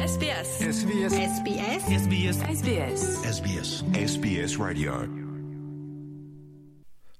SBS. SBS. SBS. SBS. SBS. SBS. SBS Radio.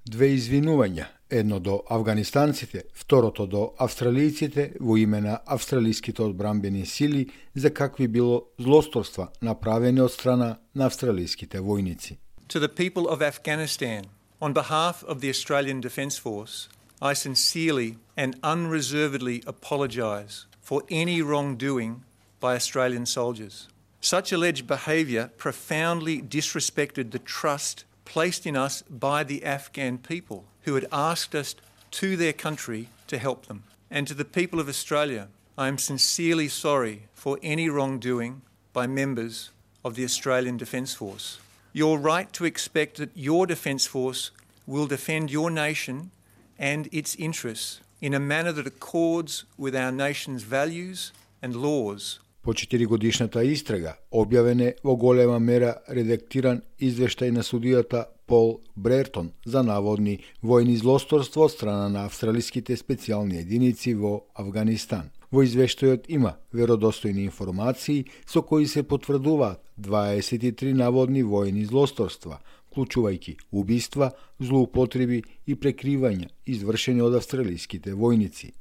Две извинувања, едно до афганистанците, второто до австралијците во име на австралиските одбранбени сили за какви било злосторства направени од страна на австралиските војници. To the people of Afghanistan, on behalf of the Australian Defence Force, I sincerely and unreservedly apologise for any wrongdoing by Australian soldiers. Such alleged behaviour profoundly disrespected the trust placed in us by the Afghan people who had asked us to their country to help them. And to the people of Australia, I am sincerely sorry for any wrongdoing by members of the Australian Defence Force. You're right to expect that your Defence Force will defend your nation and its interests in a manner that accords with our nation's values and laws. По 4-годишната истрага објавен е во голема мера редактиран извештај на судијата Пол Брертон за наводни војни злосторство од страна на австралиските специјални единици во Авганистан. Во извештајот има веродостојни информации со кои се потврдуваат 23 наводни војни злосторства, вклучувајќи убиства, злоупотреби и прекривања извршени од австралиските војници.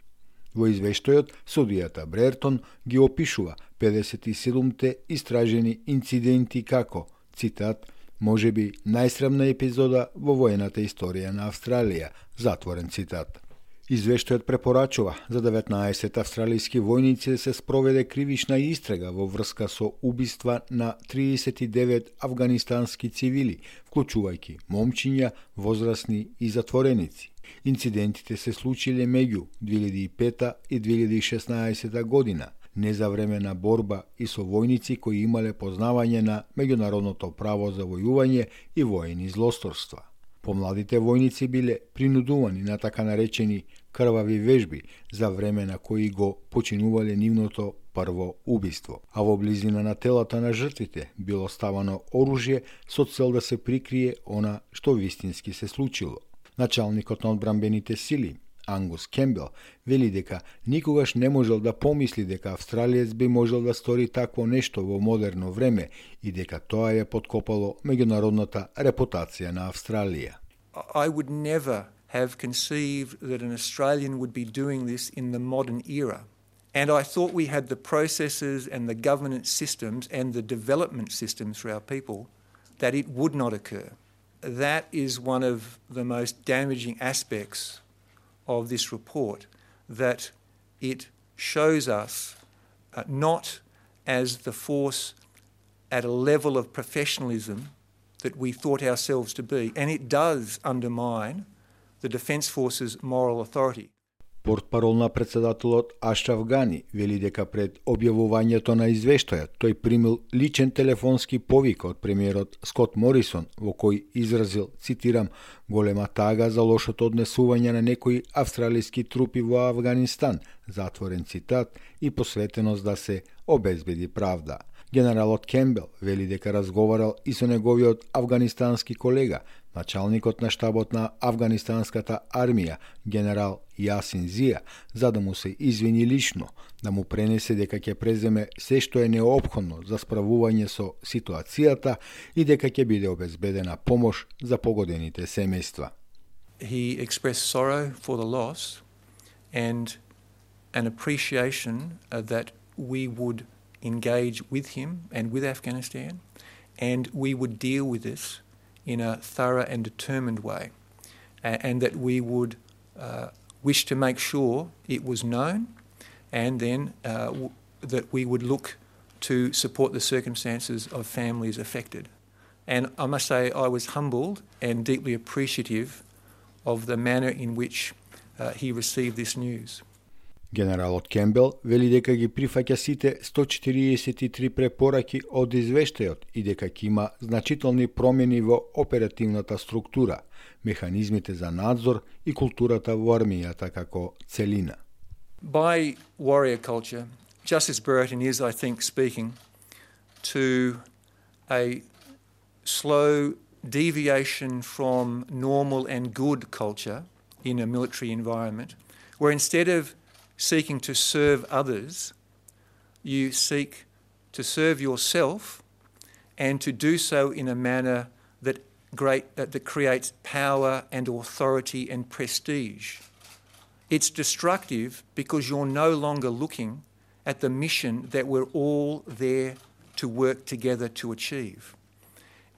Во извештајот, судијата Брертон ги опишува 57-те истражени инциденти како, цитат, можеби најсрамна епизода во војната историја на Австралија, затворен цитат. Извештајот препорачува за 19 австралиски војници да се спроведе кривична истрага во врска со убиства на 39 афганистански цивили, вклучувајќи момчиња, возрасни и затвореници. Инцидентите се случиле меѓу 2005 и 2016 година, не за време на борба и со војници кои имале познавање на меѓународното право за војување и војни злосторства. Помладите војници биле принудувани на така наречени крвави вежби за време на кои го починувале нивното прво убиство, а во близина на телата на жртвите било ставано оружје со цел да се прикрие она што вистински се случило. Началникот на одбранбените сили, Ангус Кембел, вели дека никогаш не можел да помисли дека австралиец би можел да стори такво нешто во модерно време и дека тоа ја подкопало меѓународната репутација на Австралија. I would never have conceived that an Australian would be doing this in the modern era. And I thought we had the processes and the governance systems and the development systems for our people that it would not occur. That is one of the most damaging aspects of this report, that it shows us not as the force at a level of professionalism that we thought ourselves to be, and it does undermine the Defence Force's moral authority. Портпарол на председателот Ашраф Гани вели дека пред објавувањето на извештајот тој примил личен телефонски повик од премиерот Скот Морисон во кој изразил, цитирам, голема тага за лошото однесување на некои австралиски трупи во Авганистан, затворен цитат, и посветеност да се обезбеди правда. Генералот Кембел вели дека разговарал и со неговиот афганистански колега, началникот на штабот на афганистанската армија, генерал Јасин Зија, за да му се извини лично, да му пренесе дека ќе преземе се што е неопходно за справување со ситуацијата и дека ќе биде обезбедена помош за погодените семејства. He expressed sorrow for the loss and an appreciation that we would engage with him and with Afghanistan, and we would deal with this in a thorough and determined way, and that we would wish to make sure it was known, and then that we would look to support the circumstances of families affected. And I must say I was humbled and deeply appreciative of the manner in which he received this news. Генералот Кембел вели дека ги прифаќа сите 143 препораки од извештајот и дека ќе има значителни промени во оперативната структура, механизмите за надзор и културата во армијата како целина. By warrior culture, Justice Brereton is, I think, speaking to a slow deviation from normal and good culture in a military environment, where instead of seeking to serve others, you seek to serve yourself and to do so in a manner that creates power and authority and prestige. It's destructive because you're no longer looking at the mission that we're all there to work together to achieve.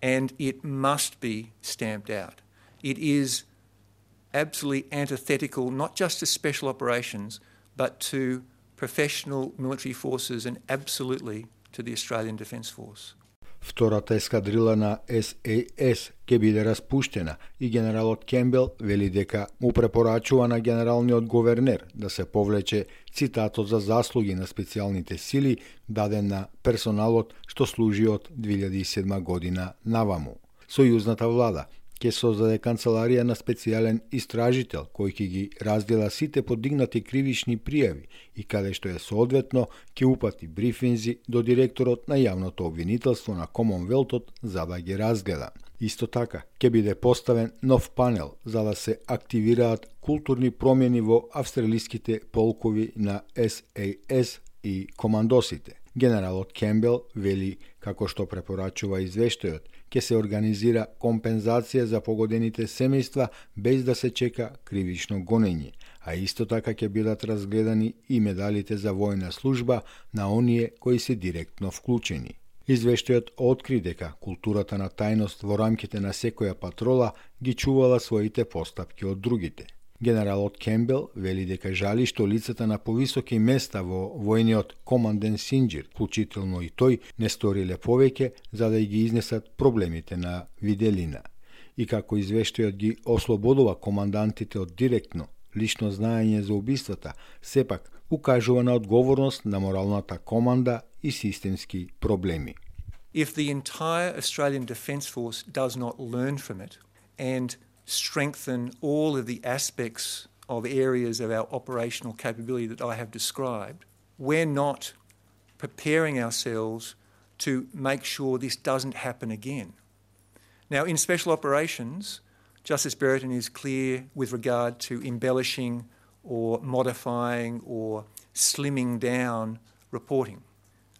And it must be stamped out. It is absolutely antithetical not just to special operations, but to professional military forces and absolutely to the Australian Defence Force. Втората ескадрила на SAS ќе биде распуштена и генералот Кембел вели дека му препорачува на генералниот говернер да се повлече цитатот за заслуги на специјалните сили даден на персоналот што служи од 2007 година наваму. Сојузната влада ќе создаде канцеларија на специјален истражител кој ќе ги раздела сите подигнати кривични пријави и каде што е соодветно ќе упати брифинзи до директорот на јавното обвинителство на Комонвелтот за да ги разгледа. Исто така ќе биде поставен нов панел за да се активираат културни промени во австралиските полкови на SAS и командосите. Генералот Кембел вели, како што препорачува извештајот, ќе се организира компензација за погодените семејства без да се чека кривично гонење, а исто така ќе бидат разгледани и медалите за војна служба на оние кои се директно вклучени. Извештајот откри дека културата на тајност во рамките на секоја патрола ги чувала своите постапки од другите. Генералот Кембел вели дека жали што лицата на повисоки места во војниот команден Синџир, вклучително и тој, не сториле повеќе за да ги изнесат проблемите на виделина. И како извештајот ги ослободува командантите од директно, лично знаење за убиствата, сепак укажува на одговорност на моралната команда и системски проблеми. If the entire Australian Defence Force does not learn from it and strengthen all of the aspects of areas of our operational capability that I have described, we're not preparing ourselves to make sure this doesn't happen again. Now, in special operations, Justice Brereton is clear with regard to embellishing or modifying or slimming down reporting.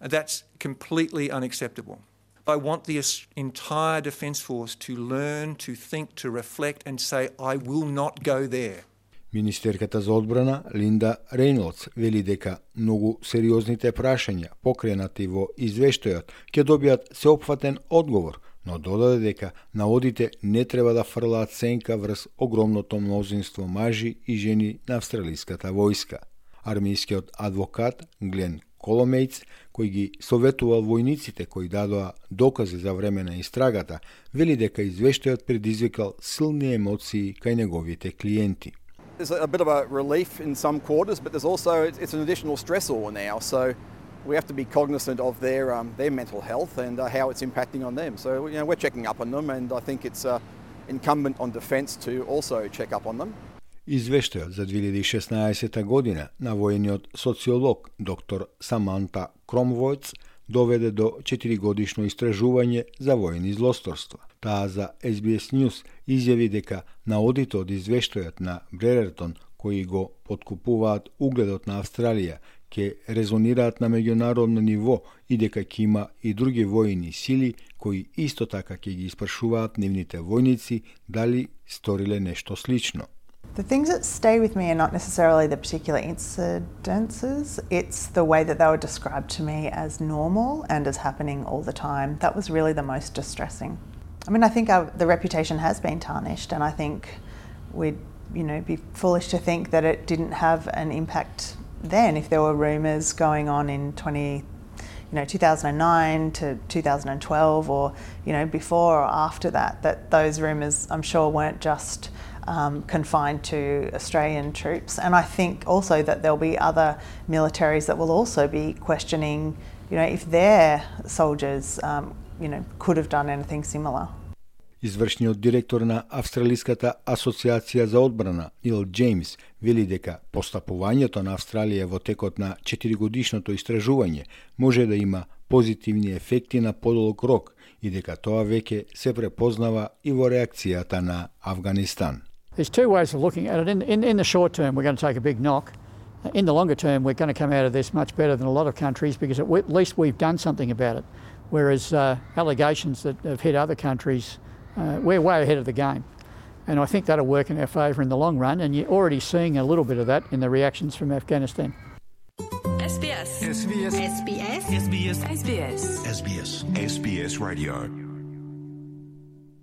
That's completely unacceptable. I want the entire Defence Force to learn, to think, to reflect and say, I will not go there. Министерката за одбрана Линда Рейнолдс вели дека многу сериозните прашања покренати во извештајот ќе добијат сеопфатен одговор, но додаде дека наводите не треба да фрлаат сенка врз огромното мнозинство мажи и жени на австралиската војска. Армијскиот адвокат Глен Коломејц, кој ги советувал војниците кои дадоа докази за време на истрагата, вели дека извештајот предизвикал силни емоции кај неговите клиенти. There's a bit of a relief in some quarters, but there's also it's an additional stressor now. So we have to be cognizant of their mental health and how it's impacting on them. So we're checking up on them, and I think it's incumbent on Defence to also check up on them. Извештајот за 2016 година на војниот социолог доктор Саманта Кромвојц доведе до 4-годишно истражување за војни злосторства. Таа за SBS News изјави дека наодите од извештајот на Бререртон, кои го подкупуваат угледот на Австралија, ќе резонираат на меѓународно ниво и дека ќе има и други војни сили кои исто така ќе ги испрашуваат нивните војници дали сториле нешто слично. The things that stay with me are not necessarily the particular incidences, it's the way that they were described to me as normal and as happening all the time. That was really the most distressing. I mean, I think the reputation has been tarnished, and I think we'd be foolish to think that it didn't have an impact then if there were rumours going on in 2009 to 2012 or before or after that those rumours I'm sure weren't just confined to Australian troops, and I think also that there'll be other militaries that will also be questioning, if their soldiers, could have done anything similar. Извршниот директор на Австралиската асоциација за одбрана Нил Джеймс вели дека постапувањето на Австралија во текот на 4-годишното истражување може да има позитивни ефекти на подолг рок и дека тоа веќе се препознава и во реакцијата на Авганистан. There's two ways of looking at it. In the short term, we're going to take a big knock, In the longer term, we're going to come out of this much better than a lot of countries because at least we've done something about it. Whereas allegations that have hit other countries, we're way ahead of the game. And I think that'll work in our favour in the long run, and you're already seeing a little bit of that in the reactions from Afghanistan. SBS. SBS. SBS. SBS. SBS. SBS. SBS Radio.